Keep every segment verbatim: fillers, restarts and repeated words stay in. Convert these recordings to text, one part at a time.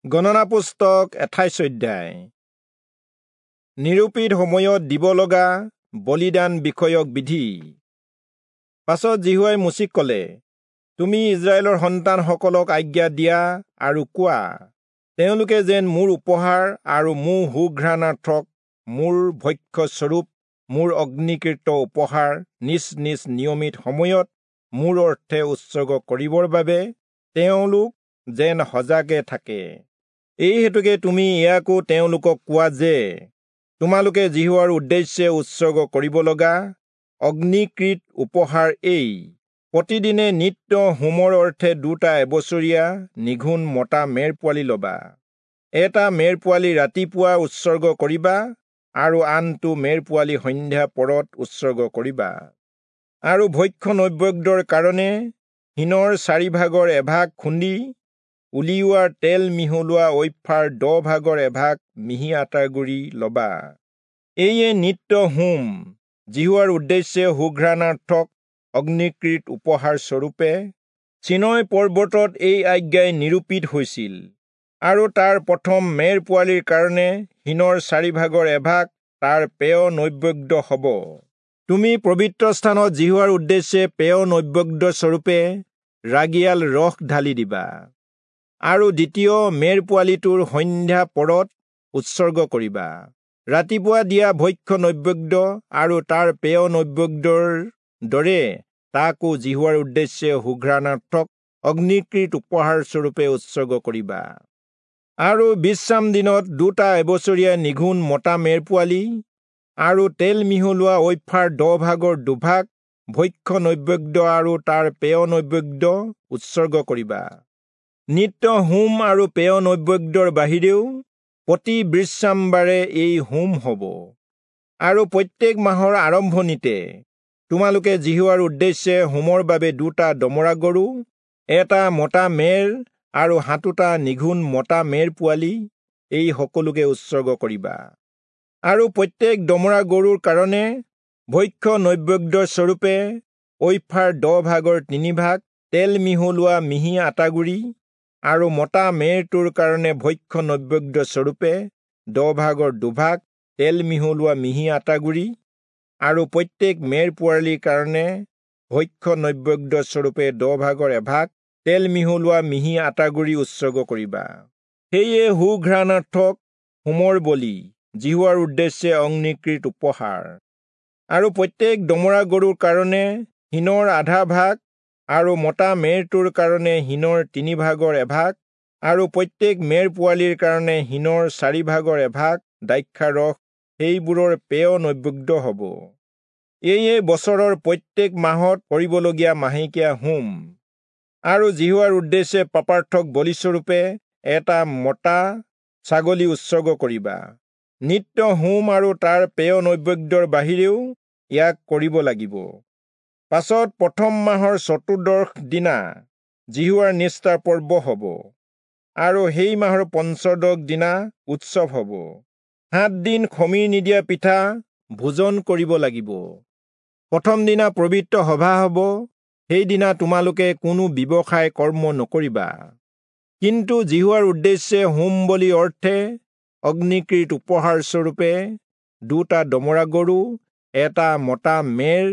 গণনা পুস্তক আঠাইশ অধ্যায়। নিৰূপিত সময়ত দিব লগা বলিদান বিষয়ক বিধি। পাছত যিহোৱাই মোচিক কলে, তুমি ইস্ৰায়েলৰ সন্তানসকলক আজ্ঞা দিয়া আৰু কোৱা, তেওঁলোকে যেন মোৰ উপহাৰ আৰু মোৰ সুঘ্ৰাণাৰ্থক মোৰ ভক্ষ্যস্বৰূপ মোৰ অগ্নিকৃত উপহাৰ নিজ নিজ নিয়মিত সময়ত মোৰ অৰ্থে উৎসৰ্গ কৰিবৰ বাবে তেওঁলোক যেন সজাগে থাকে। এই হেতুকে তুমি ইয়াকো তেওঁলোকক কোৱা যে, তোমালোকে যিহোৱাৰ উদ্দেশ্যে উৎসৰ্গ কৰিব লগা অগ্নিকৃত উপহাৰ এই: প্ৰতিদিনে নিত্য হোমৰ অৰ্থে দুটা এবছৰীয়া নিঘুণ মতা মেৰ পোৱালি লবা। এটা মেৰ পোৱালি ৰাতিপুৱা উৎসৰ্গ কৰিবা আৰু আনটো মেৰ পোৱালি সন্ধ্যা পৰত উৎসৰ্গ কৰিবা। আৰু ভক্ষ্য নৈবেদ্যৰ কাৰণে হিনৰ চাৰি ভাগৰ এভাগ খুন্দি উলিওৱা তেল মিহলোৱা ঐফাৰ দহ ভাগৰ এভাগ মিহি আটাৰ গুড়ি লবা। এইয়ে নিত্য হোম, যিহোৱাৰ উদ্দেশ্যে সুঘ্ৰাণাৰ্থক অগ্নিকৃত উপহাৰ স্বৰূপে চীনয় পৰ্বতত এই আজ্ঞাই নিৰূপিত হৈছিল। আৰু তাৰ প্ৰথম মেৰ পোৱালিৰ কাৰণে হিনৰ চাৰি ভাগৰ এভাগ তাৰ পেয় নৈবেদ্য হব। তুমি পবিত্ৰ স্থানত যিহোৱাৰ উদ্দেশ্যে পেয় নৈবেদ্য স্বৰূপে ৰাগিয়াল ৰস ঢালি দিবা। আৰু দ্বিতীয় মেৰ পোৱালিটোৰ সন্ধ্যা পৰত উৎসৰ্গ কৰিবা। ৰাতিপুৱা দিয়া ভক্ষ্য নৈবেদ্য আৰু তাৰ পেয় নৈবেদ্যৰ দৰে তাকো যিহোৱাৰ উদ্দেশ্যে সুঘ্ৰাণাৰ্থক অগ্নিকৃত উপহাৰ স্বৰূপে উৎসৰ্গ কৰিবা। আৰু বিশ্ৰাম দিনত দুটা এবছৰীয়া নিঘুণ মতা মেৰ পোৱালি আৰু তেল মিহলোৱা ঐফাৰ দহ ভাগৰ দুভাগ ভক্ষ্য নৈবেদ্য আৰু তাৰ পেয় নৈবেদ্য উৎসৰ্গ কৰিবা। নিত্য হোম আৰু পেয় নৈবেদ্যৰ বাহিৰেও প্ৰতি বিশ্ৰামবাৰে এই হোম হব। আৰু প্ৰত্যেক মাহৰ আৰম্ভণিতে তোমালোকে যিহোৱাৰ উদ্দেশ্যে হোমৰ বাবে দুটা দমৰা গৰু, এটা মতা মেৰ আৰু সাতোটা নিঘুণ মতা মেৰ পোৱালি এই সকলোকে উৎসৰ্গ কৰিবা। আৰু প্ৰত্যেক দমৰা গৰুৰ কাৰণে ভক্ষ্য নৈবেদ্য স্বৰূপে ঐফাৰ দহ ভাগৰ তিনি ভাগ তেল মিহলোৱা মিহি আটাগুড়ি আৰু মতা মেৰটোৰ কাৰণে ভক্ষ্য নৈবেদ্য স্বৰূপে দহ ভাগৰ দুভাগ তেল মিহলোৱা মিহি আটাগুড়ি আৰু প্ৰত্যেক মেৰ পোৱালিৰ কাৰণে ভক্ষ্য নৈবেদ্য স্বৰূপে দহ ভাগৰ এভাগ তেল মিহলোৱা মিহি আটাগুড়ি উৎসৰ্গ কৰিবা। সেয়ে সুঘ্ৰাণাৰ্থক হোমৰ বলি, যিহোৱাৰ উদ্দেশ্যে অগ্নিকৃত উপহাৰ। আৰু প্ৰত্যেক দমৰা গৰুৰ কাৰণে হিনৰ আধা ভাগ আৰু মতা মেৰটোৰ কাৰণে হিনৰ তিনি ভাগৰ এভাগ আৰু প্ৰত্যেক মেৰ পোৱালিৰ কাৰণে হিনৰ চাৰি ভাগৰ এভাগ দ্ৰাক্ষাৰস সেইবোৰৰ পেয় নৈবেদ্য হব। এইয়ে বছৰৰ প্ৰত্যেক মাহত কৰিবলগীয়া মাহেকীয়া হোম। আৰু যিহোৱাৰ উদ্দেশ্যে পাপাৰ্থক বলিস্বৰূপে এটা মতা ছাগলী উৎসৰ্গ কৰিবা। নিত্য হোম আৰু তাৰ পেয় নৈবেদ্যৰ বাহিৰেও ইয়াক কৰিব লাগিব। পাছত প্ৰথম মাহৰ চতুৰ্দশ দিনা যিহোৱাৰ নিস্তাৰ পৰ্ব হব আৰু সেই মাহৰ পঞ্চদশ দিনা উৎসৱ হব। সাত দিন খমিৰ নিদিয়া পিঠা ভোজন কৰিব লাগিব। প্ৰথম দিনা পবিত্ৰ সভা হব, সেইদিনা তোমালোকে কোনো ব্যৱসায় কৰ্ম নকৰিবা। কিন্তু যিহোৱাৰ উদ্দেশ্যে হোম বলি অৰ্থে অগ্নিকৃত উপহাৰ স্বৰূপে দুটা দমৰা গৰু, এটা মতা মেৰ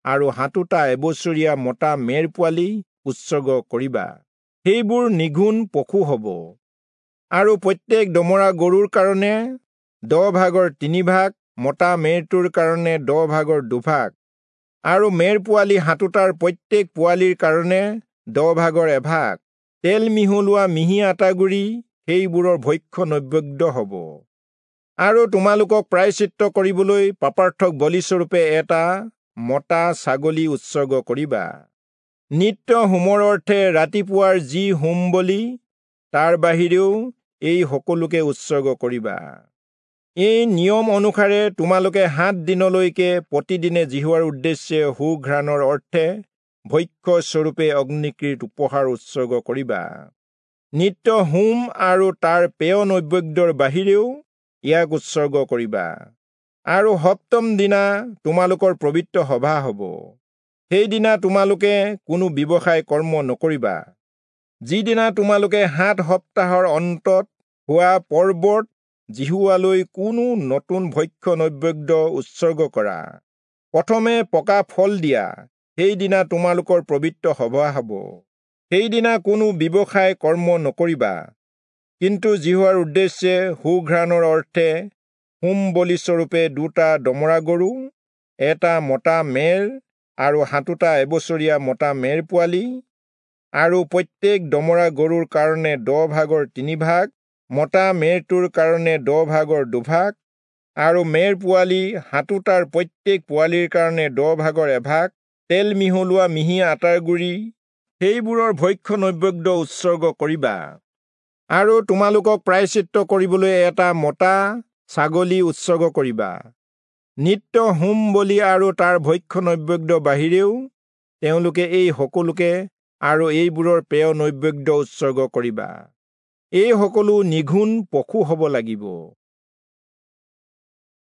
আৰু সাতোটা এবছৰীয়া মতা মেৰ পোৱালি উৎসৰ্গ কৰিবা। সেইবোৰ নিঘুণ পশু হব। আৰু প্ৰত্যেক দমৰা গৰুৰ কাৰণে দহ ভাগৰ তিনি ভাগ, মতা মেৰটোৰ কাৰণে দহ ভাগৰ দুভাগ আৰু মেৰ পোৱালি সাতোটাৰ প্ৰত্যেক পোৱালিৰ কাৰণে দহ ভাগৰ এভাগ তেল মিহলোৱা মিহি আটাগুড়ি সেইবোৰৰ ভক্ষ্য নৈবেদ্য হব। আৰু তোমালোকক প্ৰায়শ্চিত্ত কৰিবলৈ পাপাৰ্থক বলিস্বৰূপে এটা মতা ছাগলী উৎসৰ্গ কৰিবা। নিত্য হোমৰ অৰ্থে ৰাতিপুৱাৰ যি হোম বলি তাৰ বাহিৰেও এই সকলোকে উৎসৰ্গ কৰিবা। এই নিয়ম অনুসাৰে তোমালোকে সাত দিনলৈকে প্ৰতিদিনে যিহোৱাৰ উদ্দেশ্যে সুঘ্ৰাণৰ অৰ্থে ভক্ষ্য স্বৰূপে অগ্নিকৃত উপহাৰ উৎসৰ্গ কৰিবা। নিত্য হোম আৰু তাৰ পেয় নৈবেদ্যৰ বাহিৰেও ইয়াক উৎসৰ্গ কৰিবা। আৰু সপ্তম দিনা তোমালোকৰ পবিত্ৰ সভা হব, সেইদিনা তোমালোকে কোনো ব্যৱসায় কৰ্ম নকৰিবা। যিদিনা তোমালোকে সাত সপ্তাহৰ অন্তত হোৱা পৰ্বত যিহোৱালৈ কোনো নতুন ভক্ষ্য নৈবেদ্য উৎসৰ্গ কৰা। প্ৰথমে পকা ফল দিয়া সেইদিনা তোমালোকৰ পবিত্ৰ সভা হ'ব। সেইদিনা কোনো ব্যৱসায় কৰ্ম নকৰিবা, কিন্তু যিহোৱাৰ উদ্দেশ্যে সুঘ্ৰাণৰ অৰ্থে হোম বলিস্বৰূপে দুটা দমৰা গৰু, এটা মতা মেৰ আৰু সাতোটা এবছৰীয়া মতা মেৰ পোৱালি, আৰু প্ৰত্যেক দমৰা গৰুৰ কাৰণে দহ ভাগৰ তিনি ভাগ, মতা মেৰটোৰ কাৰণে দহ ভাগৰ দুভাগ, আৰু মেৰ পোৱালি সাতোটাৰ প্ৰত্যেক পোৱালিৰ কাৰণে দহ ভাগৰ এভাগ তেল মিহলোৱা মিহি আটাৰ গুড়ি সেইবোৰৰ ভক্ষ্য নৈবেদ্য উৎসৰ্গ কৰিবা। আৰু তোমালোকক প্ৰায়শ্চিত্ত কৰিবলৈ এটা মতা ছাগলী উৎসৰ্গ কৰিবা। নিত্য হোম বলি আৰু তাৰ ভক্ষ্য নৈবেদ্য বাহিৰেও তেওঁলোকে এই সকলোকে আৰু এইবোৰৰ পেয় নৈবেদ্য উৎসৰ্গ কৰিবা। এই সকলো নিঘূণ পশু হ'ব লাগিব।